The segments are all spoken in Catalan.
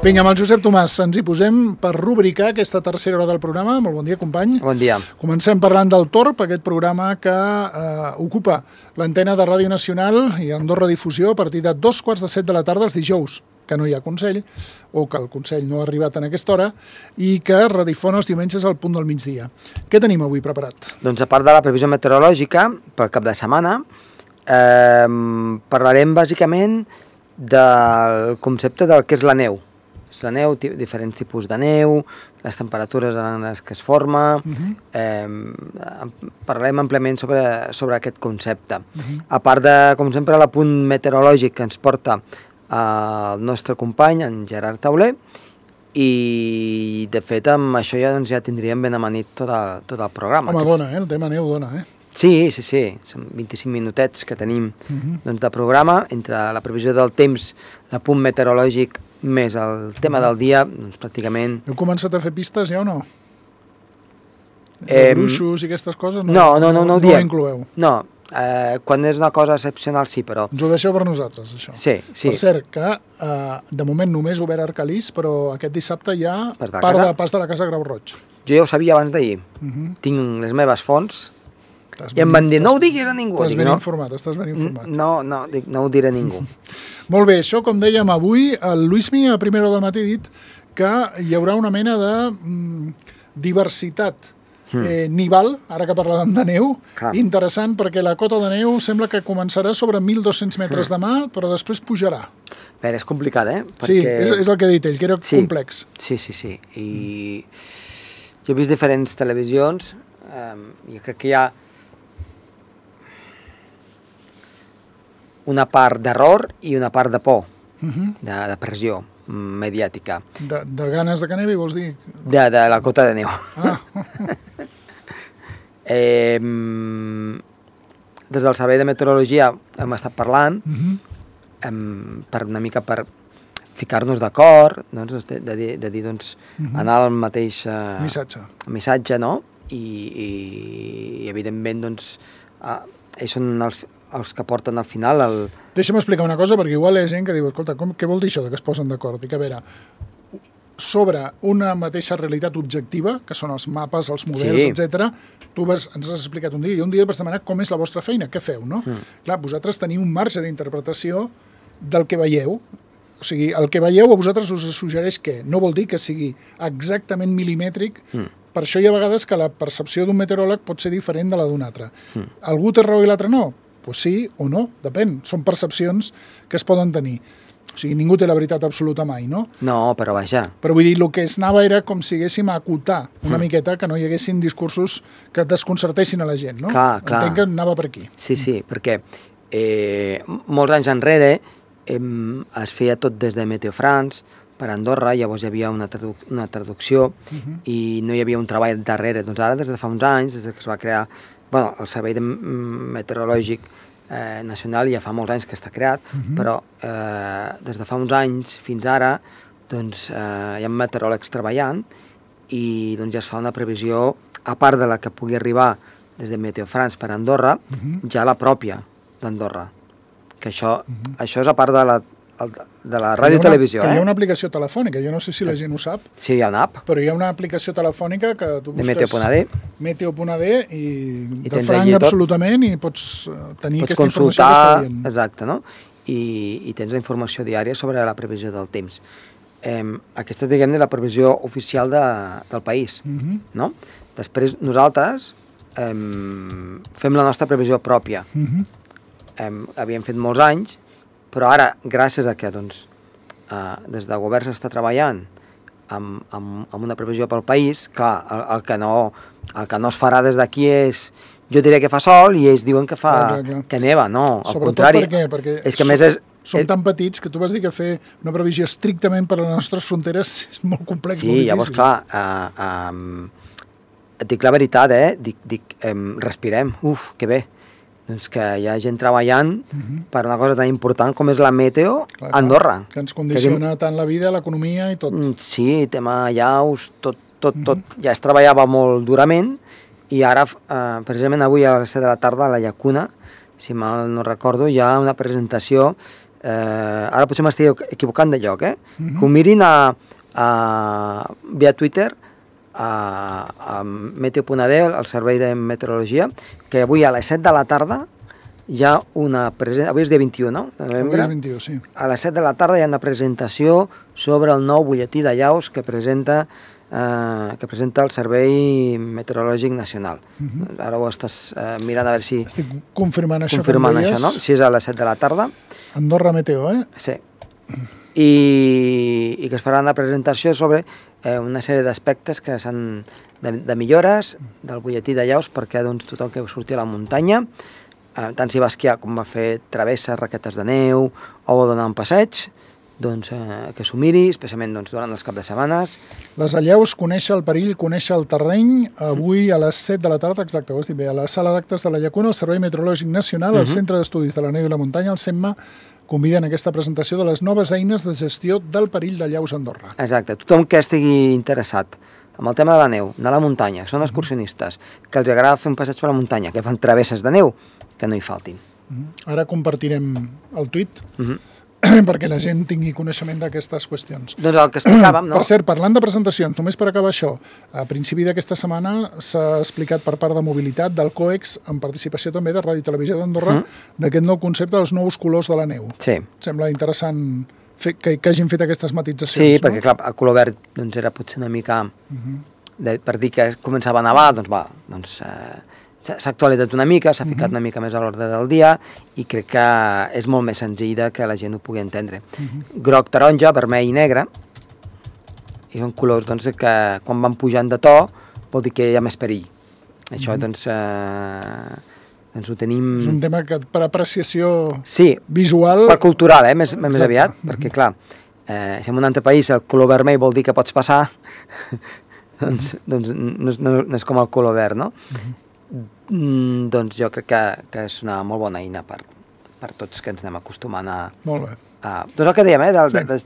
Vinga, amb el Josep Tomàs ens hi posem per rubricar aquesta tercera hora del programa. Molt bon dia, company. Bon dia. Comencem parlant del Torb, aquest programa que ocupa l'antena de Ràdio Nacional i Andorra Difusió a partir de 2:15 de la tarda els dijous, que no hi ha Consell, o que el Consell no ha arribat en aquesta hora, i que redifon els diumenges al punt del migdia. Què tenim avui preparat? Doncs a part de la previsió meteorològica, pel cap de setmana, parlarem bàsicament del concepte del que és la neu. La neu, diferents tipus de neu, les temperatures en les que es forma, parlarem àmpliament sobre aquest concepte. A part de, com sempre, l'apunt meteorològic que ens porta el nostre company, en Gerard Tauler, i de fet amb això ja tindríem ben amanit tot el programa. Home, dona, el tema neu dona, Sí, són 25 minutets que tenim de programa, entre la previsió del temps, l'apunt meteorològic, més el tema del dia, doncs pràcticament... Heu començat a fer pistes ja o no? Bruixos i aquestes coses no ho ho incloeu? No, quan és una cosa excepcional sí, però... Ens ho deixeu per nosaltres, això. Sí. Per cert, que de moment només obert Arcalís, però aquest dissabte hi ha part de pas de la Casa Grau Roig. Jo ja ho sabia abans d'ahir. Tinc les meves fonts i em van dir, no ho diguis a ningú. Estàs ben informat. No ho diré a ningú. Molt bé, això, com dèiem avui, el Luismi a primera hora del matí ha dit que hi haurà una mena de diversitat nival, ara que parlàvem de neu, interessant, perquè la cota de neu sembla que començarà sobre 1.200 metres demà, però després pujarà. Bé, és complicat, Sí, és el que ha dit ell, que era complex. Sí. I jo he vist diferents televisions i crec que hi ha una part d'error i una part de por, de pressió mediàtica. De ganes de que nevi, vols dir? De la cota de neu. Des del Servei de Meteorologia hem estat parlant per una mica per ficar-nos d'acord, de dir, anar al mateix missatge, no? I evidentment, ells són els que porten al final Deixa'm explicar una cosa, perquè igual hi ha gent que diu, escolta, què vol dir això que es posen d'acord? Dic, a veure, sobre una mateixa realitat objectiva, que són els mapes, els models, etc. Tu ens has explicat un dia, i un dia vas demanar com és la vostra feina, què feu, no? Clar, vosaltres teniu un marge d'interpretació del que veieu. O sigui, el que veieu a vosaltres us suggereix que no vol dir que sigui exactament milimètric. Per això hi ha vegades que la percepció d'un meteoròleg pot ser diferent de la d'un altre. Algú té raó i l'altre no? Doncs sí o no, depèn. Són percepcions que es poden tenir. O sigui, ningú té la veritat absoluta mai, no? No, però vaja. Però vull dir, el que es anava era com si haguéssim a acotar una miqueta, que no hi haguessin discursos que desconcertessin a la gent, no? Clar. Entenc que anava per aquí. Sí, perquè molts anys enrere es feia tot des de Meteo France, per Andorra, llavors hi havia una traducció i no hi havia un treball darrere. Doncs ara, des de fa uns anys, des que es va crear el Servei Meteorològic Nacional, ja fa molts anys que està creat, però des de fa uns anys fins ara hi ha meteoròlegs treballant i ja es fa una previsió, a part de la que pugui arribar des de Meteo France per Andorra, ja la pròpia d'Andorra. Que això és a part de la ràdio i televisió. Que hi ha una aplicació telefònica, jo no sé si la gent ho sap. Sí, hi ha una app. Però hi ha una aplicació telefònica que tu busques... De Meteo.d i de franc absolutament i pots tenir aquesta informació que està dient. Exacte, no? I tens la informació diària sobre la previsió del temps. Aquesta és, diguem-ne, la previsió oficial del país, no? Després nosaltres fem la nostra previsió pròpia. Havíem fet molts anys, però ara, gràcies a que des del govern s'està treballant amb una previsió pel país, clar, el que no es farà des d'aquí és, jo diré que fa sol i ells diuen que que neva, no, al contrari. Sobretot perquè és que més som tan petits que tu vas dir que fer una previsió estrictament per a les nostres fronteres és molt complex, molt difícil. Sí, llavors, clar, et dic la veritat, dic, respirem, que bé. Doncs que hi ha gent treballant per una cosa tan important com és la meteo a Andorra. Que ens condiciona tant la vida, l'economia i tot. Sí, tema llaus, tot. Ja es treballava molt durament i ara, precisament avui a les 7 de la tarda a la Llacuna, si mal no recordo, hi ha una presentació ara potser m'estic equivocant de lloc, que ho mirin via Twitter, a Meteo.d, al servei de meteorologia, que avui a les 7 de la tarda hi ha una presentació, avui és dia 21, no? Avui és 21, sí. A les 7 de la tarda hi ha una presentació sobre el nou butlletí d'allaus que presenta el Servei Meteorològic Nacional. Ara ho estàs mirant a veure si... Estic confirmant això, no? Si és a les 7 de la tarda. Andorra Meteo, Sí. I que es farà una presentació sobre una sèrie d'aspectes que s'han de millores del butlletí d'allaus perquè tothom que surti a la muntanya, tant si va esquiar com va fer travesses, raquetes de neu o vol donar un passeig, que s'ho miri, especialment durant els caps de setmanes. Les allaus, conèixer el perill, conèixer el terreny, avui a les 7 de la tarda, exacte, ho has dit bé, a la sala d'actes de la Llacuna, el Servei Meteorològic Nacional, el Centre d'Estudis de la Neu i la Muntanya, el CEMMA, conviden a aquesta presentació de les noves eines de gestió del perill d'allaus a Andorra. Exacte, tothom que estigui interessat amb el tema de la neu, de la muntanya, que són excursionistes, que els agrada fer un passeig per la muntanya, que fan travesses de neu, que no hi faltin. Ara compartirem el tuit perquè la gent tingui coneixement d'aquestes qüestions. Doncs el que explicàvem, no? Per cert, parlant de presentacions, només per acabar això, a principi d'aquesta setmana s'ha explicat per part de Mobilitat, del COEX, en participació també de Ràdio i Televisió d'Andorra, d'aquest nou concepte dels nous colors de la neu. Sí. Sembla interessant que hagin fet aquestes matitzacions. Sí, perquè clar, el color verd era potser una mica... Per dir que començava a nevar, s'ha actualitzat una mica, s'ha ficat una mica més a l'ordre del dia i crec que és molt més senzill que la gent ho pugui entendre. Groc, taronja, vermell i negre, i són colors que quan van pujant de to vol dir que hi ha més perill. Això ho tenim... És un tema que per apreciació visual... Per cultural, més aviat, perquè clar, si en un altre país el color vermell vol dir que pots passar, doncs no és com el color verd, no? Doncs jo crec que és una molt bona eina per tots que ens anem acostumant a... Molt bé. Doncs el que dèiem,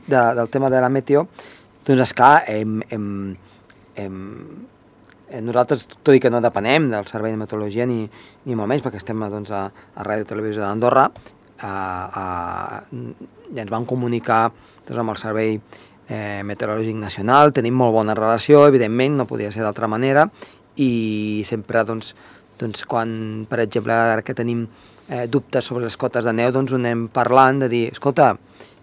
del tema de la meteo, doncs esclar, nosaltres, tot i que no depenem del Servei de Meteorologia ni molt menys, perquè estem a Ràdio i Televisió d'Andorra, ja ens van comunicar amb el Servei Meteorològic Nacional, tenim molt bona relació, evidentment, no podia ser d'altra manera, i sempre, quan, per exemple, ara que tenim dubtes sobre les cotes de neu, ho anem parlant de dir, escolta,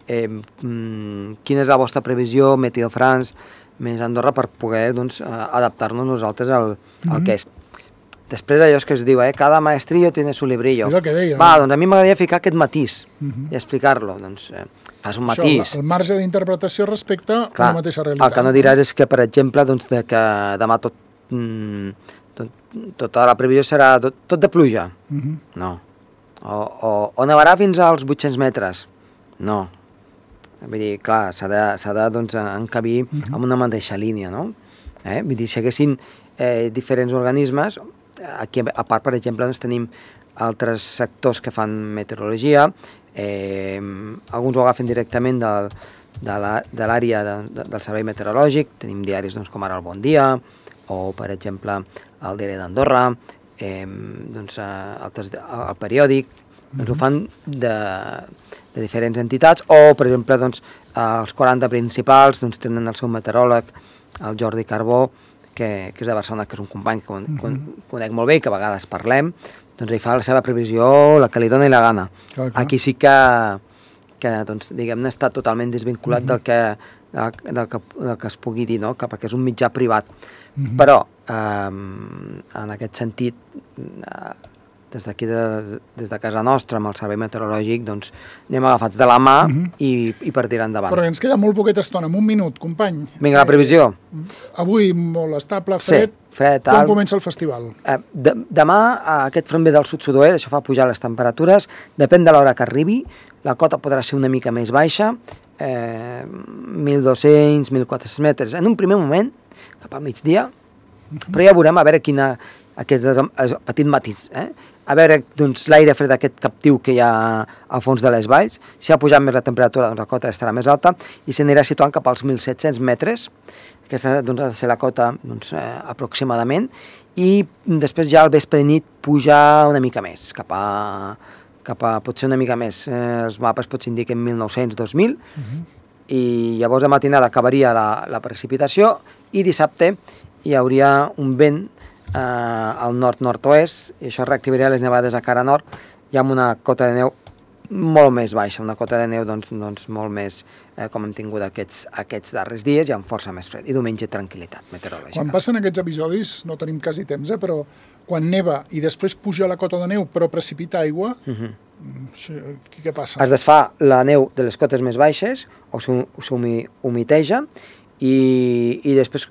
quina és la vostra previsió, Meteo France, més Andorra, per poder adaptar-nos nosaltres al que és. Després allò que es diu, cada maestrillo tiene su librillo. És el que deia. Va, doncs a mi m'agradaria ficar aquest matís i explicar-lo, fas un matís. Això, el marge d'interpretació respecte a la mateixa realitat. El que no diràs és que, per exemple, que demà tota la previsió serà tot de pluja. No. O nevarà fins als 800 metres. No. Vull dir, clar, s'ha de encabir en una mateixa línia, no? Vull dir, si haguessin diferents organismes, aquí a part, per exemple, tenim altres sectors que fan meteorologia, alguns ho agafen directament de l'àrea del servei meteorològic, tenim diaris com ara el Bon Dia, o, per exemple, el Diari d'Andorra, altres, el periòdic, ho fan de diferents entitats, o, per exemple, els 40 principals tenen el seu meteoròleg, el Jordi Carbó, que és de Barcelona, que és un company que conec molt bé i que a vegades parlem, ell fa la seva previsió, la que li dona i la gana. Aquí sí que diguem-ne, està totalment desvinculat del que es pugui dir, perquè és un mitjà privat. Però, en aquest sentit, des d'aquí, des de casa nostra, amb el servei meteorològic, anem agafats de la mà i per tirar endavant. Però ens queda molt poqueta estona, en un minut, company. Vinga, la previsió. Avui molt estable, fred. Quan comença el festival? Demà aquest front ve del sud-sud-oest, això fa pujar les temperatures, depèn de l'hora que arribi, la cota podrà ser una mica més baixa, 1.200, 1.400 metres. En un primer moment, cap al migdia, però ja veurem a veure aquest petit matís, a veure l'aire fred d'aquest captiu que hi ha al fons de les valls. Si ha pujat més la temperatura, la cota estarà més alta i s'anirà situant cap als 1.700 metres, aquesta ha de ser la cota aproximadament, i després ja al vespre i nit pujar una mica més, cap cap a potser una mica més. Els mapes potser indiquen 1900-2000, i llavors de matinada acabaria la precipitació, i dissabte hi hauria un vent al nord-nord-oest, i això reactivaria les nevades a cara nord, i amb una cota de neu molt més baixa, una cota de neu doncs molt més com hem tingut aquests darrers dies, i amb força més fred. I diumenge tranquil·litat meteorològica. Quan passen aquests episodis, no tenim quasi temps, però quan neva i després puja la cota de neu però precipita aigua, què passa? Es desfà la neu de les cotes més baixes, o s'humiteja, i després,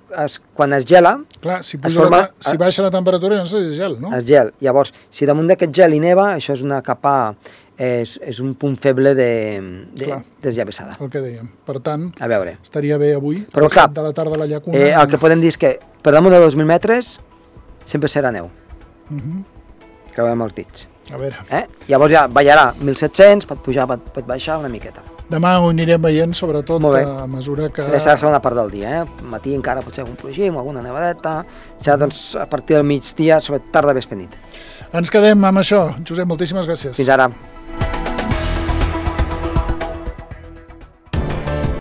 quan es gela... Clar, si baixa la temperatura, no és gel, no? Es gel. Llavors, si damunt d'aquest gel hi neva, això és una capa... És un punt feble de desllavessada. El que dèiem. Per tant, a veure, estaria bé avui, però clar, de la tarda a la llacuna... El que podem dir és que per damunt de 2.000 metres sempre serà neu. Creuem els dits. A veure. Llavors ja ballarà 1.700, pot pujar, pot baixar una miqueta. Demà ho anirem veient, sobretot a mesura que... Serà la segona part del dia, matí encara potser algun plogim, alguna nevadeta, serà doncs a partir del migdia, sobretot tarda, vespre, nit. Ens quedem amb això. Josep, moltíssimes gràcies. Fins ara.